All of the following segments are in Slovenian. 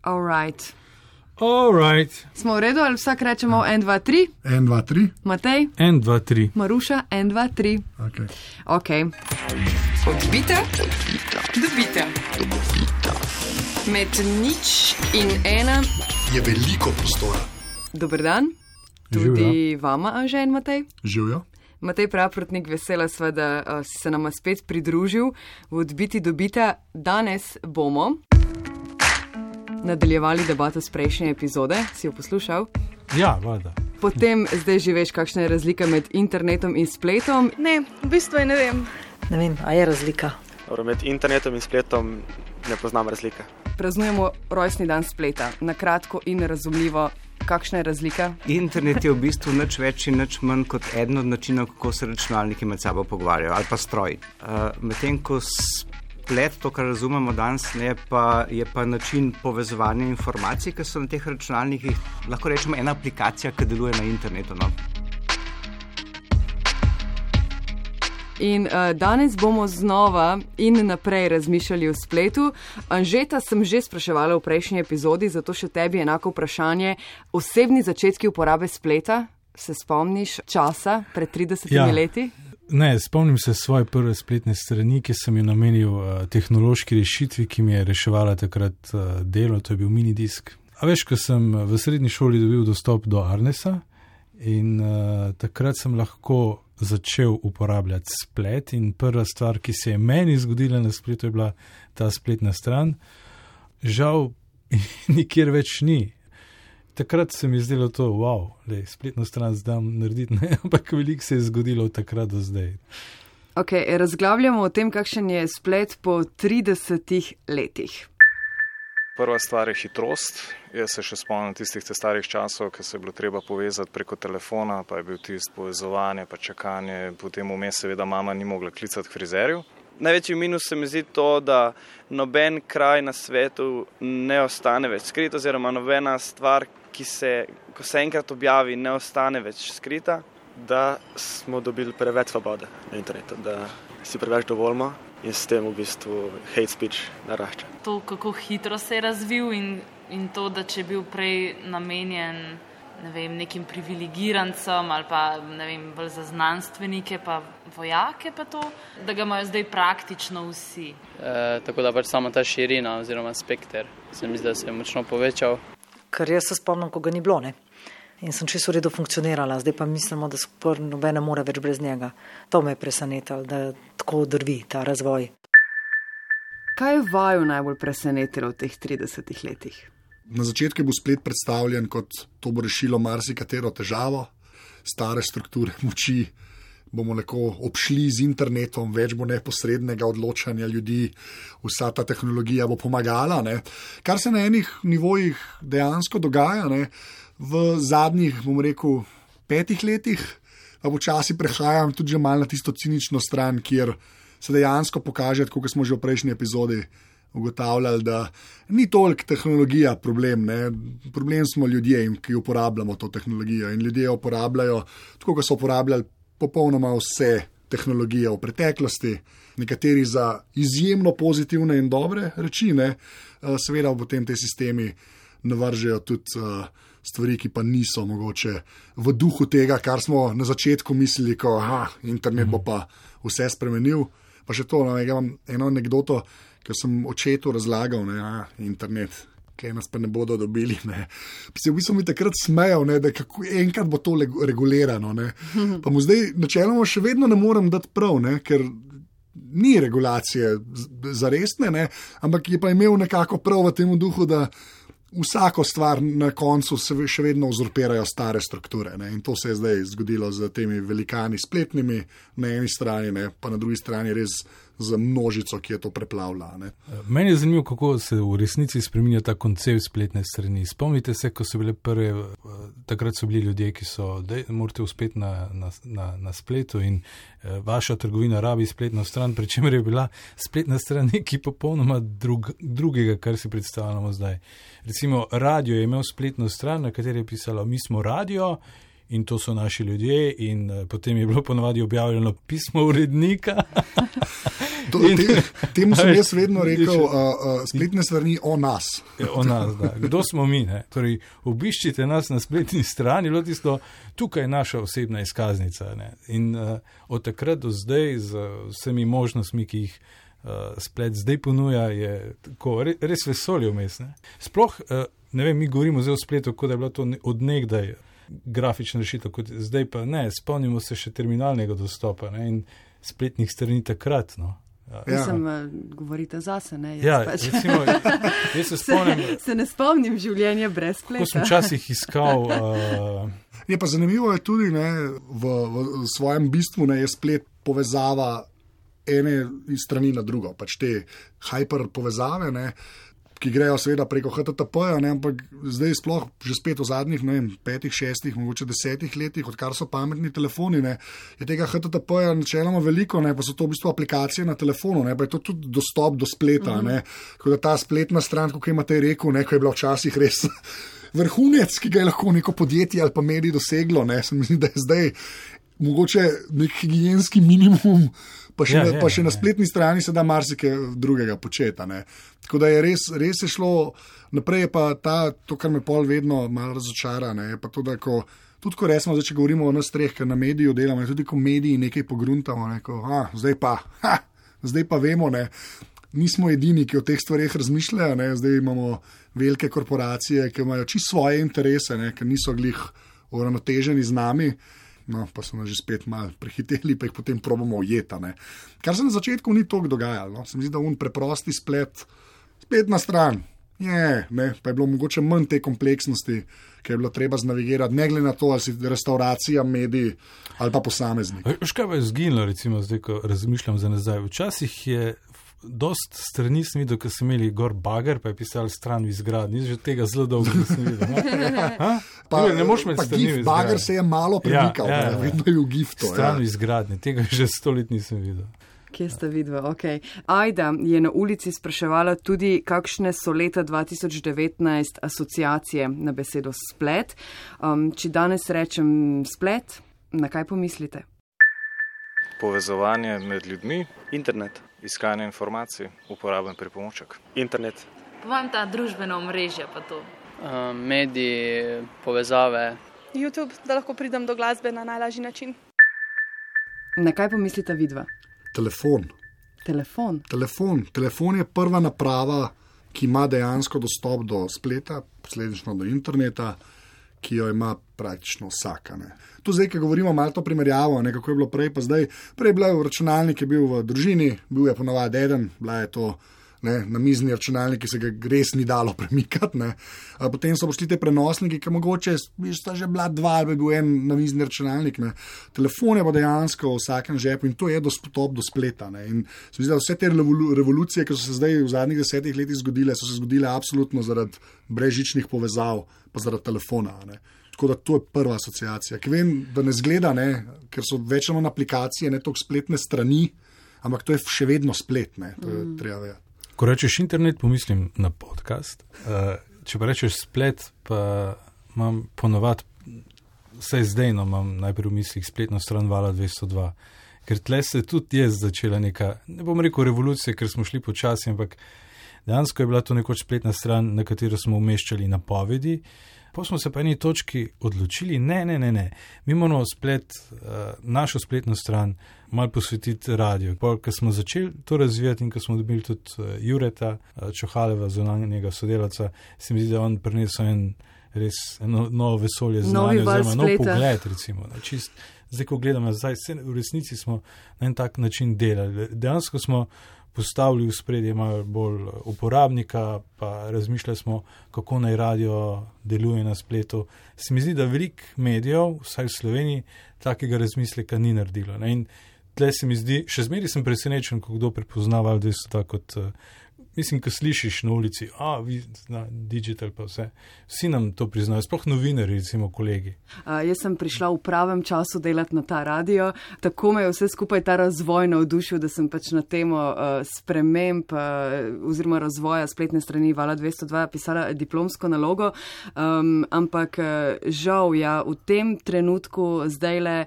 Alright. Smo v redu, ali vsak rečemo 1, 2, 3? 1, 2, 3. Matej? 1, 2, 3. Maruša? 1, 2, 3. Ok. Odbita, dobita. Med 0 in 1 je veliko prostora. Dober dan. Tudi vama, Anže in Matej. Živijo. Matej Praprotnik, vesela sva, da si se nama spet pridružil v Odbiti dobita. Danes bomo nadaljevali debato z prejšnje epizode. Si jo poslušal? Ja, valjda. Potem zdaj že veš, kakšna je razlika med internetom in spletom? Ne, v bistvu ne vem. Ne vem, a je razlika? Med internetom in spletom ne poznam razlike. Praznujemo rojstni dan spleta. Na kratko in razumljivo, kakšna je razlika? Internet je v bistvu nič več in nič manj kot eden od načinov, kako se računalniki med sabo pogovarjajo, ali pa stroj. Medtem ko splet, to, kar razumemo danes, je pa način povezovanja informacij, ki so na teh računalnikih, lahko rečemo ena aplikacija, ki deluje na internetu. No? In danes bomo znova in naprej razmišljali o spletu. Anžeta sem že spraševala v prejšnji epizodi, zato še tebi enako vprašanje. Osebni začetki uporabe spleta, se spomniš časa pred 30 leti? Ne, spomnim se svoje prve spletne strani, ki sem jo namenil tehnološki rešitvi, ki mi je reševala takrat delo, to je bil minidisk. A veš, ko sem v srednji šoli dobil dostop do Arnesa in takrat sem lahko začel uporabljati splet in prva stvar, ki se je meni zgodila na spletu, je bila ta spletna stran. Žal nikjer več ni. Takrat se mi je zdelo to, spletno stran zdam narediti, ne, ampak veliko se je zgodilo od takrat do zdaj. Ok, razglavljamo o tem, kakšen je splet po 30 letih. Prva stvar je hitrost. Jaz se še spomnim tistih starih časov, ko se je bilo treba povezati preko telefona, pa je bil tisti povezovanje, pa čakanje, potem vmes seveda mama ni mogla klicati k frizerju. Največji minus se mi zdi to, da noben kraj na svetu ne ostane več skrit, oziroma nobena stvar, ko se enkrat objavi, ne ostane več skrita. Da smo dobili preveč svobode na internetu, da si preveč dovoljimo in s tem v bistvu hate speech narašča. To, kako hitro se je razvil in to, da če je bil prej namenjen nekim privilegirancem ali pa bolj za znanstvenike pa vojake pa to, da ga imajo zdaj praktično vsi. Tako da pač sama ta širina oziroma spekter se mi zdi, da se je močno povečal. Ker jaz se spomnim, ko ga ni bilo, ne? In sem čisto v redu funkcionirala, zdaj pa mislimo, da skoraj nobene more več brez njega. To me je presenetilo, da tako drvi ta razvoj. Kaj je vaju najbolj presenetilo v teh 30 letih? Na začetku bo splet predstavljen kot to bo rešilo marsikatero težavo, stare strukture moči bomo neko obšli z internetom, več bo neposrednega odločanja ljudi, vsa ta tehnologija bo pomagala, ne? Kar se na enih nivojih dejansko dogaja, ne? V zadnjih, 5 letih, pa počasi prehajam tudi že malo na tisto cinično stran, kjer se dejansko pokaže, kot smo že v prejšnji epizodi ugotavljali, da ni toliko tehnologija problem, ne? Problem smo ljudje, ki uporabljamo to tehnologijo in ljudje jo uporabljajo, tako kot so uporabljali popolnoma vse tehnologije v preteklosti, nekateri za izjemno pozitivne in dobre reči, ne? Seveda potem te sistemi navržejo tudi stvari, ki pa niso mogoče v duhu tega, kar smo na začetku mislili, ko internet bo pa vse spremenil. Pa še to, imam eno anekdoto, ki sem očetu razlagal, internet, kaj nas pa ne bodo dobili. Ne. Se v bistvu mi takrat smejal, da kako enkrat bo to regulirano. Ne. Pa mu zdaj načeloma še vedno ne morem dati prav, ne, ker ni regulacije zaresne, ne, ampak je pa imel nekako prav v tem duhu, da vsako stvar na koncu se še vedno uzurpirajo stare strukture. Ne? In to se je zdaj zgodilo z temi velikani spletnimi na eni strani, ne? Pa na drugi strani res z množico, ki je to preplavila. Ne? Meni je zanimivo, kako se v resnici spreminja ta koncept spletne strani. Spomnite se, ko so bile prve, takrat so bili ljudje, ki so, morate uspeti na spletu in vaša trgovina rabi spletno stran, pri čemer je bila spletna stran nekaj popolnoma drugega, kar si predstavljamo zdaj. Recimo, radio je imel spletno stran, na kateri je pisalo, mi smo radio in to so naši ljudje in potem je bilo ponavadi objavljeno pismo urednika Temu sem jaz vedno rekel, spletne strani o nas. O nas, da. Kdo smo mi? Ne? Torej, obiščite nas na spletni strani, bilo tisto, tukaj je naša osebna izkaznica. Ne? In od takrat do zdaj z vsemi možnostmi, ki jih splet zdaj ponuja, je tako, res vesolje vmes. Sploh, ne vem, mi govorimo zdaj o spletu, kot da je bilo to od nekdaj grafična rešitev, kot zdaj pa ne, spomnimo se še terminalnega dostopa, ne, in spletnih strani takrat, no. Mislim, govorite zase, ne? Recimo, jaz se spomnim... Se ne spomnim življenja brez spleta. Ko sem včasih iskal... Je pa zanimivo je tudi, ne, v svojem bistvu, ne, je splet povezava ene strani na drugo, pač te hyper povezave, ne, ki grejo seveda preko HTTP-ja, ampak zdaj sploh že spet v zadnjih, 5, 6, mogoče 10 letih, odkar so pametni telefoni, ne, je tega HTTP-ja načeloma veliko, ne, pa so to v bistvu aplikacije na telefonu, ne, pa je to tudi dostop do spleta, ne, tako da ta spletna stran, kot imate rekel, ne, ko je bila včasih res vrhunec, ki ga je lahko neko podjetje ali pa medij doseglo, ne, se mi zdi, da je zdaj mogoče nek higienski minimum, pa še na spletni strani se da marsikaj drugega početa. Ne. Tako da je res je šlo naprej, je pa to, kar me pol vedno malo razočara, ne, je pa to, da tudi ko resmo, zdaj, če govorimo o nas treh, ker na mediju delamo, tudi ko mediji nekaj pogruntamo, ne, zdaj pa vemo, ne, nismo edini, ki o teh stvareh razmišljajo, ne, zdaj imamo velike korporacije, ki imajo čisto svoje interese, ne, ker niso glih uravnoteženi z nami. No, pa so nas že spet malo prehiteli, pa jih potem probamo ujeta. Ne. Kar se na začetku ni toliko dogajalo. No. Se mi zdi, da preprosti spletna stran, pa je bilo mogoče manj te kompleksnosti, ki je bilo treba znavigirati, ne glede na to, ali si restauracija, mediji ali pa posameznik. Škaj pa je zginilo, recimo, zdaj, ko razmišljam za nazaj. Včasih je dost strani sem videl, ko so imeli gor bager, pa je pisali stran v izgradnji. Že tega zelo dolgo nisem videl. Ne moš med strani v izgradnji. Bager se je malo premikal, vedno je v giftu. Stran v izgradnji, tega že 100 let nisem videl. Kje sta vidva? Okay. Ajda je na ulici spraševala tudi, kakšne so leta 2019 asociacije na besedo splet. Če danes rečem splet, na kaj pomislite? Povezovanje med ljudmi. Internet. Iskanje informacij, uporaben pripomoček. Internet. Vam ta družbena omrežja pa to? Mediji, povezave. YouTube, da lahko pridem do glasbe na najlažji način. Na kaj pomislite vidva? Telefon. Telefon je prva naprava, ki ima dejansko dostop do spleta, posledično do interneta, ki jo ima praktično vsaka. Ne. Tu zdaj, ko govorimo malo to primerjavo, ne, kako je bilo prej, pa zdaj. Prej je bil računalnik, je bil v družini, bil je ponavadi eden, bila je to na mizni računalnik, ki se ga res ni dalo premikati. Ne. Potem so prišli te prenosniki, ki mogoče sta že bila dva, ali bi bil en na mizni računalnik. Ne. Telefon je pa dejansko v vsakem žepu in to je dostop do spleta. Ne. In se mi zdi, da vse te revolucije, ki so se zdaj v zadnjih 10 letih zgodile, so se zgodile absolutno zaradi brezžičnih povezav, pa zaradi telefona. Ne. Tako da to je prva asociacija. Ki vem, da ne zgleda, ne, ker so večino aplikacije, ne toliko spletne strani, ampak to je še vedno splet. Ne. To je treba vedeti. Ko rečeš internet, pomislim na podcast. Če pa rečeš splet, pa imam ponovadi, vsaj zdaj imam najprej v mislih spletno stran Vala 202, ker tle se tudi je začela neka, ne bom rekel revolucija, ker smo šli počasi, ampak dejansko je bila to nekoč spletna stran, na katero smo umeščali napovedi. Pa smo se pa eni točki odločili, ne, mi moramo našo spletno stran malo posvetiti radio. Ko smo začeli to razvijati in ko smo dobili tudi Jureta Čohaleva, zunanjega sodelavca, se mi zdi, da on prinesel eno novo vesolje znanja, oziroma nov pogled, recimo. Zdaj, ko gledamo nazaj, v resnici smo na en tak način delali. Dejansko smo postavili v spredje malo bolj uporabnika, pa razmišljali smo, kako naj radio deluje na spletu. Se mi zdi, da veliko medijev, vsaj v Sloveniji, takega razmisleka ni naredilo. Ne? In tle se mi zdi, še zmeraj sem presenečen, ko kdo prepoznava, da so tako kot, mislim, ko slišiš na ulici, vi na digital pa vse, vsi nam to priznajo, sploh novinari, recimo kolegi. Jaz sem prišla v pravem času delati na ta radio, tako me je vse skupaj ta razvoj navdušil, da sem pač na temo sprememb oziroma razvoja spletne strani Vala 202 pisala diplomsko nalogo, ampak žal, v tem trenutku zdajle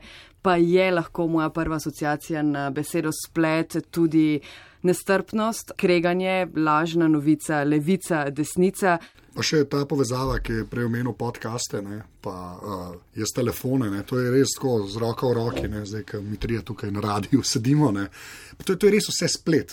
pa je lahko moja prva asociacija na besedo splet tudi nestrpnost, kreganje, lažna novica, levica, desnica. Pa še ta povezava, ki je prej omenil podcaste, ne, pa jaz telefone, ne, to je res tako z roko v roki, ne, zdaj, ko mi trije tukaj na radiju sedimo, ne, to je res vse splet.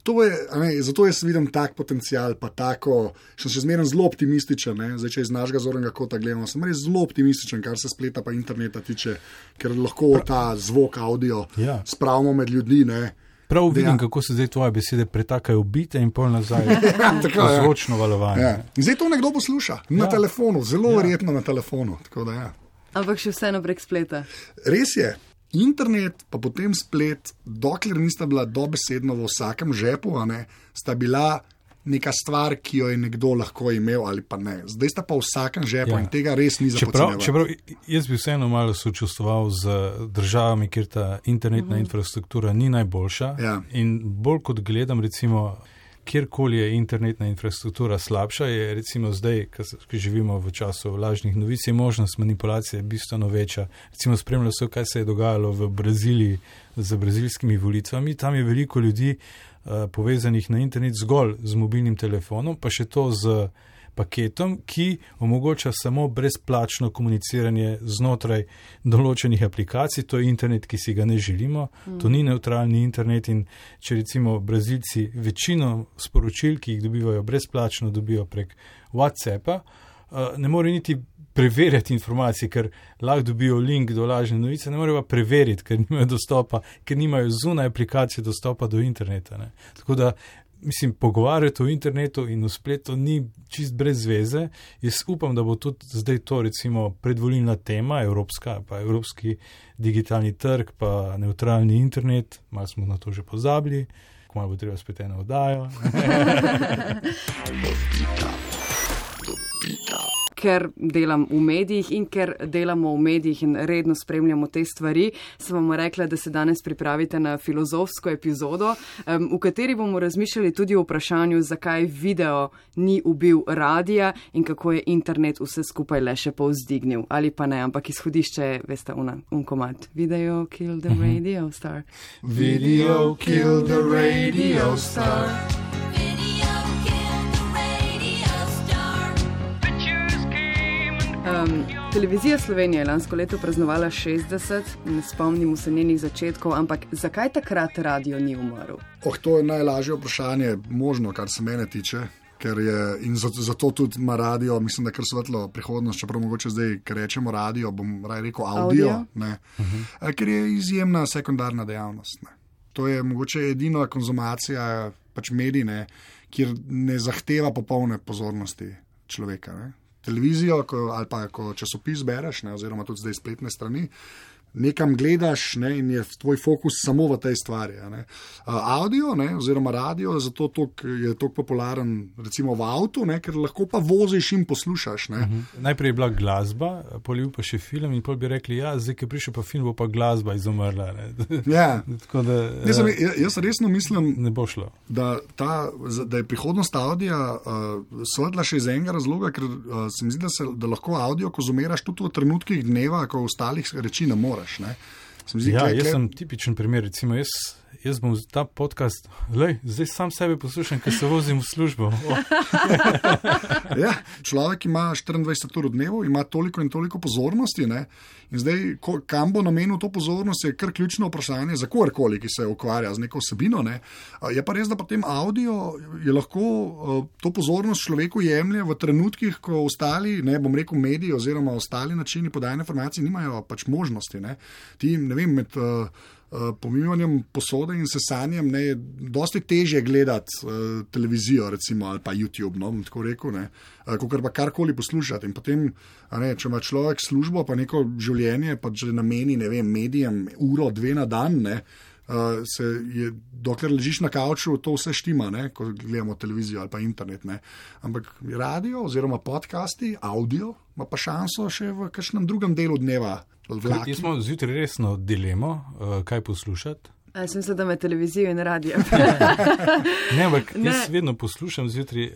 Zato jaz vidim tak potencial, pa tako, sem še zmeraj zelo optimističen, ne, zdaj, če iz našega zornega kota gledamo, sem res zelo optimističen, kar se spleta pa interneta tiče, ker lahko ta zvok, audio spravimo med ljudi, ne. Prav vidim, kako se zdaj tvoje besede pretakajo v bite in pol nazaj v zvočno valovanje. Ja. In zdaj to nekdo posluša na telefonu, zelo verjetno na telefonu. Tako da, Ampak še vseeno prek spleta. Res je. Internet, pa potem splet, dokler nista bila dobesedno v vsakem žepu, sta bila neka stvar, ki jo je nekdo lahko imel ali pa ne. Zdaj sta pa v vsakem žepu in tega res ni za podcenjevati. Čeprav jaz bi vseeno malo sočustvoval z državami, kjer ta internetna infrastruktura ni najboljša in bolj kot gledam recimo, kjerkoli je internetna infrastruktura slabša, je recimo zdaj, ko živimo v času lažnih novic, je možnost manipulacije bistveno večja. Recimo spremljal sem, kaj se je dogajalo v Braziliji z brazilskimi volitvami. Tam je veliko ljudi povezanih na internet zgolj z mobilnim telefonom, pa še to z paketom, ki omogoča samo brezplačno komuniciranje znotraj določenih aplikacij. To je internet, ki si ga ne želimo. To ni neutralni internet in če recimo Brazilci večino sporočil, ki jih dobivajo brezplačno, dobijo prek WhatsAppa, ne more niti preverjati informacije, ker lahko dobijo link do lažne novice, ne morejo pa preveriti, ker nimajo dostopa, ker nimajo zunaj aplikacije dostopa do interneta. Ne. Tako da, mislim, pogovarjati o internetu in o spletu ni čist brez veze. Jaz upam, da bo tudi zdaj to recimo predvolilna tema, evropska, pa evropski digitalni trg, pa neutralni internet, malo smo na to že pozabili, kmalu bo treba spet eno oddajo. Ker delam v medijih in ker delamo v medijih in redno spremljamo te stvari, sem vam rekla, da se danes pripravite na filozofsko epizodo, v kateri bomo razmišljali tudi o vprašanju, zakaj video ni ubil radija in kako je internet vse skupaj le še povzdignil. Ali pa ne, ampak izhodišče je, veste, komad. Video kill the radio star. Video kill the radio star. Televizija Slovenija je lansko leto praznovala 60, ne spomnimo se njenih začetkov, ampak zakaj takrat radio ni umrl? To je najlažje vprašanje možno, kar se mene tiče, ker je, in zato tudi ima radio, mislim, da kar svetlo prihodnost, čeprav mogoče zdaj, ker rečemo radio, bom raje rekel audio? Ne, ker je izjemna sekundarna dejavnost. Ne. To je mogoče edina konzumacija pač medij, kjer ne zahteva popolne pozornosti človeka. Ne. Televizijo ali pa ko časopis bereš, oziroma tudi zdaj spletne strani, nekam gledaš in je tvoj fokus samo v tej stvari. Audio oziroma radio zato je toliko popularen recimo v avtu, ker lahko pa voziš in poslušaš. Najprej je bila glasba, polil pa še film in pol bi rekli, zdaj, ki je prišel pa film, bo pa glasba izumrla. Tako da, jaz resno mislim, ne bo šlo. Da je prihodnost audija svetla še iz enega razloga, ker se mi zdi, da lahko audio konzumiraš tudi v trenutkih dneva, ko ostalih reči ne moreš. Jaz sem tipičen primer, recimo jaz bom ta podcast, zdaj sam sebe poslušam, ker se vozim v službo. Človek ima 24 ur v dnevu, ima toliko in toliko pozornosti, in zdaj, kam bo namenil to pozornost, je kar ključno vprašanje za kogarkoli, ki se ukvarja z neko vsebino. Je pa res, da potem audio je lahko to pozornost človeku jemlje v trenutkih, ko ostali, bom rekel mediji oziroma ostali načini podajanja informacij nimajo pač možnosti. Ti, ne vem, med pomivanjem posode in sesanjem je dosti težje gledati televizijo recimo, ali pa YouTube, bom tako rekel, kakor pa karkoli poslušati. In potem, če ima človek službo pa neko življenje, pa že nameni, ne vem, medijem uro, 2 na dan, dokler ležiš na kavču, to vse štima, ko gledamo televizijo ali pa internet. Ampak radio oziroma podcasti, audio, ima pa šanso še v kakšnem drugem delu dneva. Jaz smo zjutraj resno dilemo, kaj poslušati. Jaz mislim, da me televizijo in radio. Ampak jaz vedno poslušam zjutraj,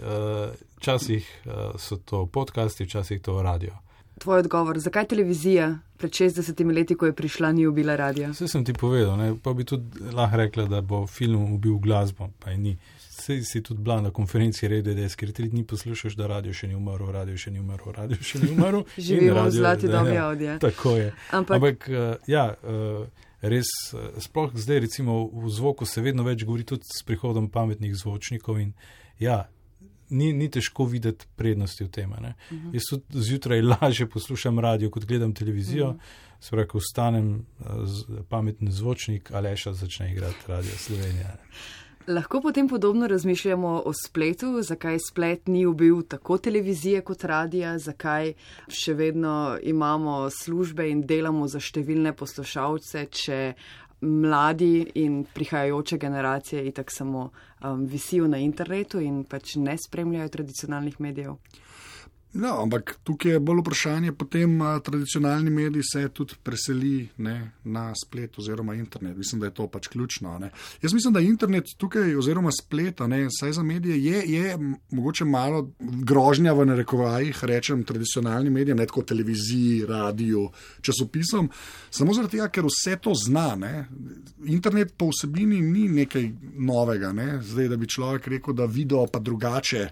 včasih so to podcasti, včasih to radio. Tvoj odgovor, zakaj televizija pred 60 leti, ko je prišla, ni ubila radia? Vse sem ti povedal, ne? Pa bi tudi lahko rekla, da bo film ubil glasbo, pa je ni. Sej si tudi bila na konferenci Radio DS, ker 3 dni poslušaš, da radio še ni umrl, radio še ni umrl, radio še ni umrl. Živimo v zlati dobi audija. Tako je. Ampak res, sploh zdaj recimo v zvoku se vedno več govori tudi s prihodom pametnih zvočnikov in ni težko videti prednosti v tem. Jaz tudi zjutraj lažje poslušam radio, kot gledam televizijo, se pravi, ko vstanem pametni zvočnik, Aleša začne igrati Radio Slovenija. Lahko potem podobno razmišljamo o spletu, zakaj splet ni ubil tako televizije kot radija, zakaj še vedno imamo službe in delamo za številne poslušalce, če mladi in prihajajoče generacije itak samo visijo na internetu in pač ne spremljajo tradicionalnih medijev. No, ampak tukaj je bolj vprašanje, potem tradicionalni mediji se tudi preseli na splet oziroma internet. Mislim, da je to pač ključno. Jaz mislim, da internet tukaj oziroma splet, saj za medije je mogoče malo grožnja v narekovajih, rečem tradicionalnim medijem, ne tako televiziji, radiju, časopisom, samo zaradi tega, ker vse to zna. Internet po vsebini ni nekaj novega. Zdaj, da bi človek rekel, da video pa drugače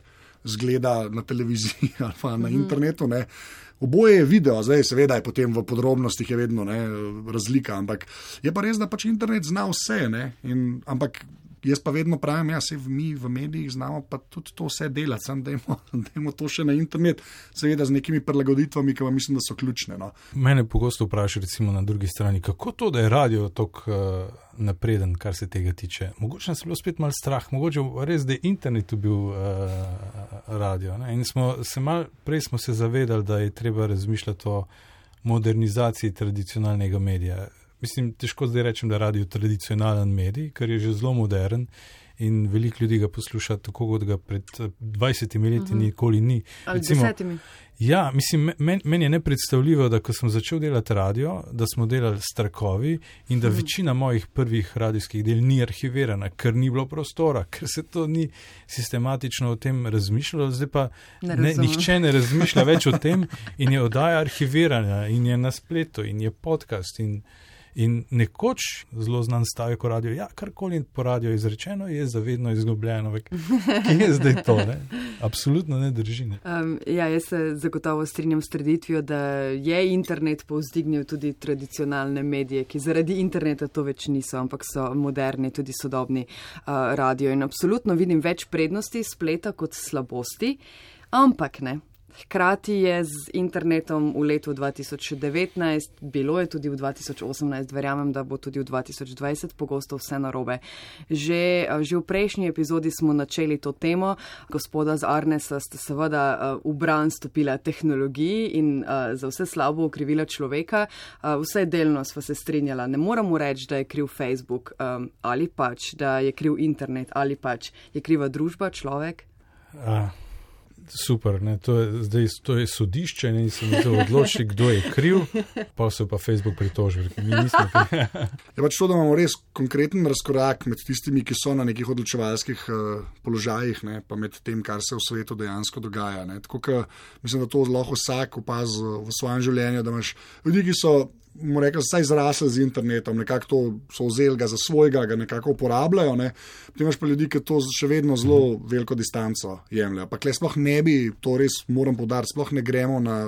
zgleda na televiziji ali pa na internetu. Oboje je video, zdaj seveda je potem v podrobnostih je vedno razlika, ampak je pa res, da pač internet zna vse. Ampak jaz pa vedno pravim, mi v medijih znamo pa tudi to vse delati, samo dajmo to še na internet, seveda z nekimi prilagoditvami, ki vam mislim, da so ključne. Mene pogosto vpraša recimo na drugi strani, kako to, da je radio tako napreden, kar se tega tiče. Mogoče nas je bilo spet malo strah, mogoče res, da je internet bil radio. In prej smo se zavedali, da je treba razmišljati o modernizaciji tradicionalnega medija. Mislim, težko zdaj rečem, da je radio tradicionalen medij, ker je že zelo modern in veliko ljudi ga posluša tako, kot ga pred 20 leti nikoli ni. Ali 10. Ja, mislim, meni je nepredstavljivo, da ko sem začel delati radio, da smo delali s trakovi in da večina mojih prvih radijskih del ni arhivirana, ker ni bilo prostora, ker se to ni sistematično o tem razmišljalo, zdaj pa nihče ne razmišlja več o tem in je oddaja arhivirana in je na spletu in je podcast in nekoč zelo znan stavek o radiju, karkoli po radiju izrečeno, je zavedno izgubljeno. Kje je zdaj to? Absolutno ne drži. Jaz se zagotovo strinjam s trditvijo, da je internet povzdignil tudi tradicionalne medije, ki zaradi interneta to več niso, ampak so moderni, tudi sodobni radio. In absolutno vidim več prednosti spleta kot slabosti, ampak ne. Hkrati je z internetom v letu 2019, bilo je tudi v 2018, verjamem, da bo tudi v 2020 pogosto vse narobe. Že v prejšnji epizodi smo načeli to temo, gospoda z Arnesa ste seveda v bran stopila tehnologiji in za vse slabo okrivila človeka, vsaj delno sva se strinjala. Ne moramo reči, da je kriv Facebook ali pač, da je kriv internet ali pač je kriva družba, človek. Super, to je sodišče in se mi odloči, kdo je kriv, pa se pa Facebook pritožil. Je pač to, da imamo res konkreten razkorak med tistimi, ki so na nekih odločevalskih položajih, pa med tem, kar se v svetu dejansko dogaja. Tako, mislim, da to lahko vsak opazi v svojem življenju, da imaš ljudi, ki so vsaj zrasli z internetom, nekako to so vzeli ga za svojega, ga nekako uporabljajo, Potem imaš pa ljudi, ki to še vedno zelo veliko distanco jemljajo. Pa kle sploh ne bi, to res moram poudariti, sploh ne gremo na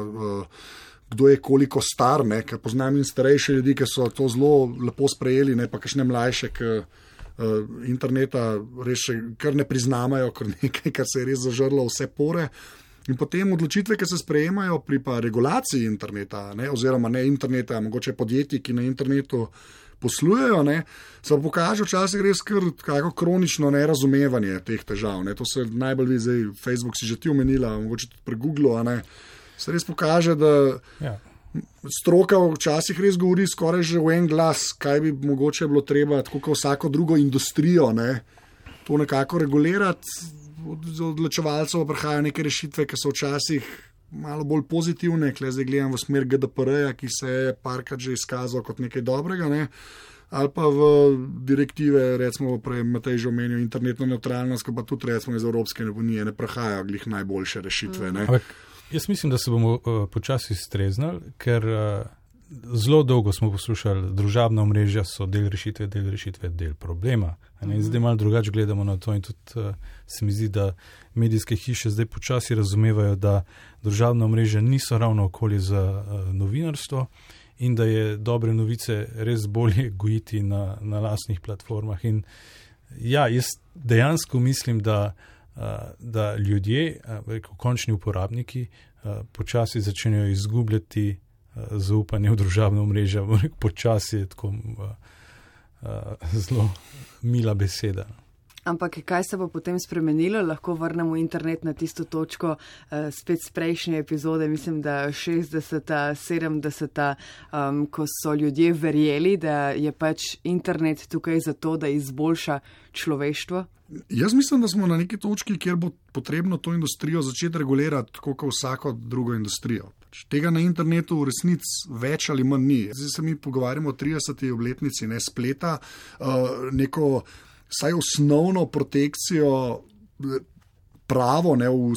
kdo je koliko star, ker poznam in starejše ljudi, ki so to zelo lepo sprejeli, pa kakšne mlajše, ki interneta res še kar ne priznamajo, kar nekaj, kar se je res zažrlo vse pore. In potem odločitve, ki se sprejemajo pri pa regulaciji interneta, oziroma ne interneta, mogoče podjetji, ki na internetu poslujejo, se pa pokaže včasih res kako kronično nerazumevanje teh težav. To se najbolj vidi zdaj, Facebook si že ti omenila, mogoče tudi pri Googlu, se res pokaže, da stroka včasih res govori skoraj že v en glas, kaj bi mogoče bilo treba, tako kot vsako drugo industrijo, to nekako regulirati. Od odločevalcev prihajajo neke rešitve, ki so včasih malo bolj pozitivne, zdaj gledam v smer GDPR-ja, ki se je parkrat že izkazal kot nekaj dobrega, ali pa v direktive, recimo prej Matej že omenil internetno nevtralnost, ki pa tudi recimo iz Evropske unije ne prihajajo glih najboljše rešitve. Jaz mislim, da se bomo počasi streznali, ker zelo dolgo smo poslušali, družabna omrežja so del rešitve, del problema. Zdaj malo drugače gledamo na to in tudi se mi zdi, da medijske hiše zdaj počasi razumevajo, da družabna omrežja niso ravno okolje za novinarstvo in da je dobre novice res bolje gojiti na lastnih platformah. In ja, jaz dejansko mislim, da ljudje, končni uporabniki, počasi začenjajo izgubljati zaupanje v družabno omrežje. Počasi je tako zelo mila beseda. Ampak kaj se bo potem spremenilo? Lahko vrnemo internet na tisto točko spet z prejšnje epizode, mislim, da 60., 70., ko so ljudje verjeli, da je pač internet tukaj zato, da izboljša človeštvo? Jaz mislim, da smo na neki točki, kjer bo potrebno to industrijo začeti regulirati, tako kot vsako drugo industrijo. Tega na internetu v resnici več ali manj ni. Zdaj se mi pogovarjamo o 30. obletnici spleta, neko vsaj osnovno protekcijo pravo v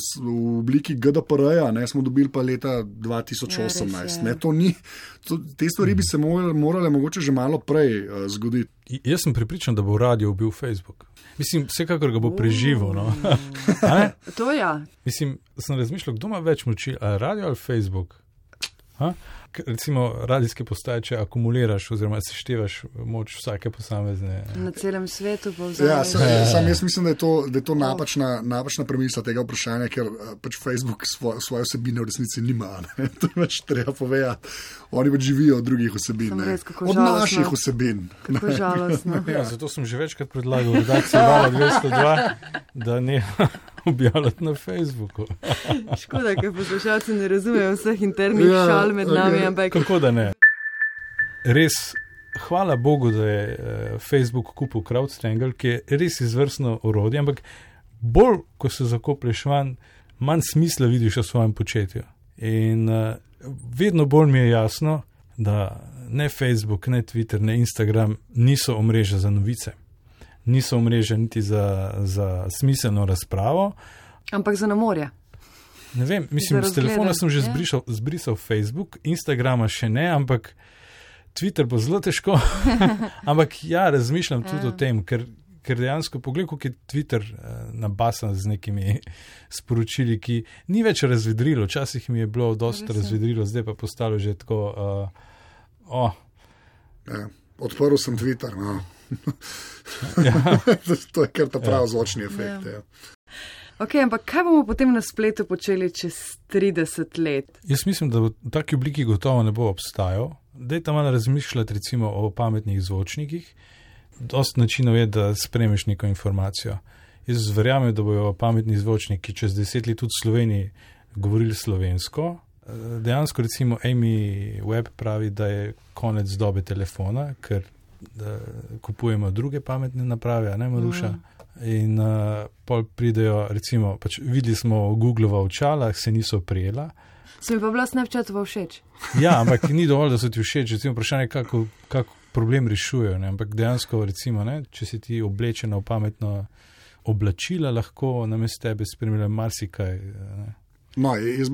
obliki GDPR-ja smo dobili pa leta 2018. Te stvari bi se morale mogoče že malo prej zgoditi. Jaz sem prepričan, da bo radio ubil Facebook. Mislim, vsekakor ga bo preživel. No? To ja. Mislim, sem razmišljal, kdo ima več moči, ali radio ali Facebook? Recimo radijske postaje, če akumuliraš oziroma seštevaš moč vsake posamezne. Na celem svetu pa sam jaz mislim, da je to napačna premisa tega vprašanja, ker pač Facebook svoje vsebine v resnici nima. To je pač treba povedati. Oni pač živijo od drugih vsebin. Od naših vsebin. Kako žalostno. Ja, zato sem že večkrat predlagal redakciji Vala 202, da ne objavljati na Facebooku. Škoda, ker poslušalci ne razumejo vseh internih šal med nami, ampak... Kako da ne? Res, hvala Bogu, da je Facebook kupil CrowdStrangle, ki je res izvrstno orodje, ampak bolj, ko se zakoplješ manj smisla vidiš v svojem početju. In vedno bolj mi je jasno, da ne Facebook, ne Twitter, ne Instagram niso omrežja za novice. Niso omrežja niti za smiselno razpravo. Ampak za namorja. Ne vem, mislim, s telefona sem že zbrisal Facebook, Instagrama še ne, ampak Twitter bo zelo težko. Ampak ja, razmišljam tudi o tem, ker dejansko pogledaj, kako je Twitter nabasan z nekimi sporočili, ki ni več razvedrilo. Včasih mi je bilo dosta razvedrilo, zdaj pa postalo že tako... Odprl sem Twitter, To je kar ta prav zvočni efekt. Ja. Ok, ampak kaj bomo potem na spletu počeli čez 30 let? Jaz mislim, da v taki obliki gotovo ne bo obstajal. Dajte malo razmišljati recimo o pametnih zvočnikih. Dost načinov je, da spremeš neko informacijo. Jaz verjamem, da bojo pametni zvočniki čez 10 let tudi v Sloveniji govorili slovensko. Dejansko recimo Amy Webb pravi, da je konec dobe telefona, ker kupujemo druge pametne naprave, ne Maruša. In pol pridejo, recimo, pač videli smo Googlova očala, se niso prijela. Se mi pa bila Snapchatova všeč. Ja, ampak ni dovolj, da so ti všeč. Recimo, vprašanje, kako problem rešujejo. Ampak dejansko, recimo, če si ti oblečena v pametno oblačila, lahko namesto tebe spremlja marsikaj. No, jaz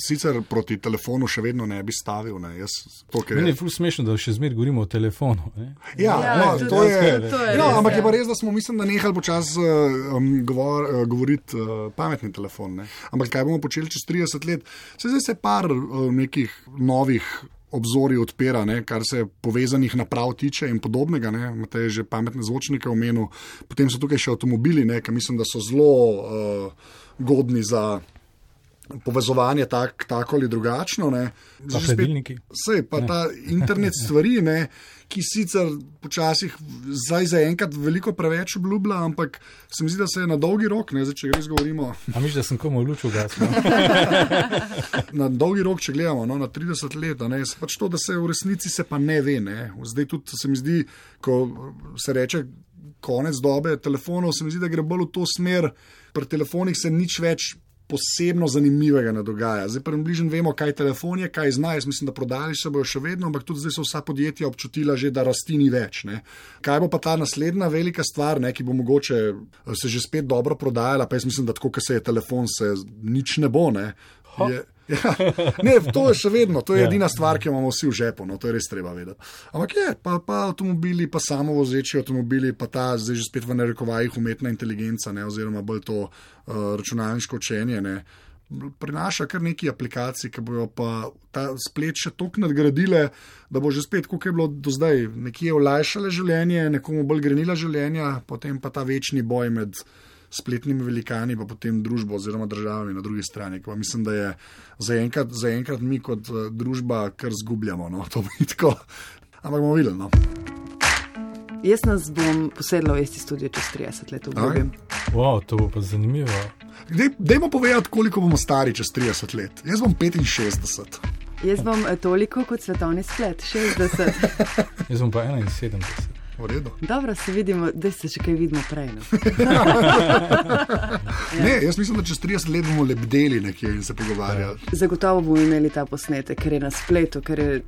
sicer proti telefonu še vedno ne bi stavil. Meni je ful smešno, da še zmeraj govorimo o telefonu. To je. Ampak je pa res, da smo, mislim, da nehali počas govoriti pametni telefon. Ampak kaj bomo počeli čez 30 let? Zdaj se par nekih novih obzorij odpira, kar se povezanih naprav tiče in podobnega. Imate že pametne zvočnike omenil. Potem so tukaj še avtomobili, ki mislim, da so zelo godni za povezovanje tako ali drugačno. Pa hladilniki. Pa ta internet stvari, ki sicer počasih zdaj zaenkrat veliko preveč obljublja, ampak se mi zdi, da se je na dolgi rok, če res govorimo. A misliš, da sem komu luč ugasnil? Na dolgi rok, če gledamo, na 30 let, pač to, da se v resnici se pa ne ve. Zdaj tudi se mi zdi, ko se reče konec dobe telefonov, se mi zdi, da gre bolj v to smer, pri telefonih se nič več posebno zanimivega ne dogaja. Zdaj približno vemo, kaj telefon je, kaj zna. Jaz mislim, da prodali se bojo še vedno, ampak tudi zdaj so vsa podjetja občutila že, da rasti ni več. Kaj bo pa ta naslednja velika stvar, ki bo mogoče se že spet dobro prodajala, pa jaz mislim, da tako, ko se je telefon, se nič ne bo. Ne, to je še vedno, to je edina stvar, ki jo imamo vsi v žepu, no, to je res treba vedeti. Ampak pa avtomobili, pa samovozeči avtomobili, pa ta zdaj že spet v narekovajih umetna inteligenca, ne, oziroma bolj to računalniško učenje, ne, prinaša kar neki aplikacij, ki bojo pa ta splet še toliko nadgradile, da bo že spet, koliko je bilo do zdaj, nekje olajšale življenje, nekomu bolj grenila življenja, potem pa ta večni boj med spletnimi velikani, pa potem družbo oziroma državami na drugi strani. Pa mislim, da je zaenkrat mi kot družba kar zgubljamo, no, to bi tako. Ampak bomo videli, no. Jaz nas bom posedla v isti studio čez 30 let, obljubim. Wow, to bo pa zanimivo. Dajmo povedati, koliko bomo stari čez 30 let. Jaz bom 65. Jaz bom toliko kot svetovni splet, 60. Jaz bom pa 71. V redu. Dobro, se vidimo, da se še kaj vidimo prej. No? Ne, jaz mislim, da čez 30 let bomo lebdeli nekje in se pogovarjali. Zagotovo bomo imeli ta posnetek, ker je na spletu, ker je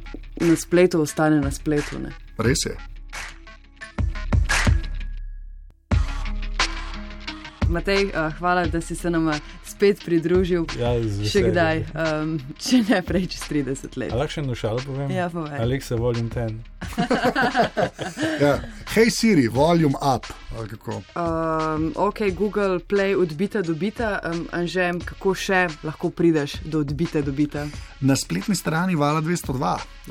na spletu ostane na spletu. Ne? Res je. Matej, hvala, da si se nam spet pridružil. Ja, še kdaj, če ne prej čez 30 let. Lahko še eno šalo povem? Ja, povej. Alexa, volume 10. Hej Siri, volume up. Ok, Google Play odbita do bita. Anže, kako še lahko prideš do odbite do bita? Na spletni strani Vala 202,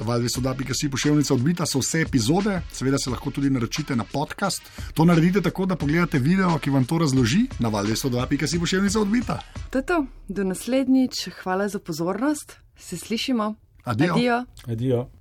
val202.si poševnica odbita so vse epizode, seveda se lahko tudi naročite na podcast. To naredite tako, da pogledate video, ki vam to razloži na val202.si poševnica odbita. To je to, do naslednjič, hvala za pozornost, se slišimo. Adijo. Adijo.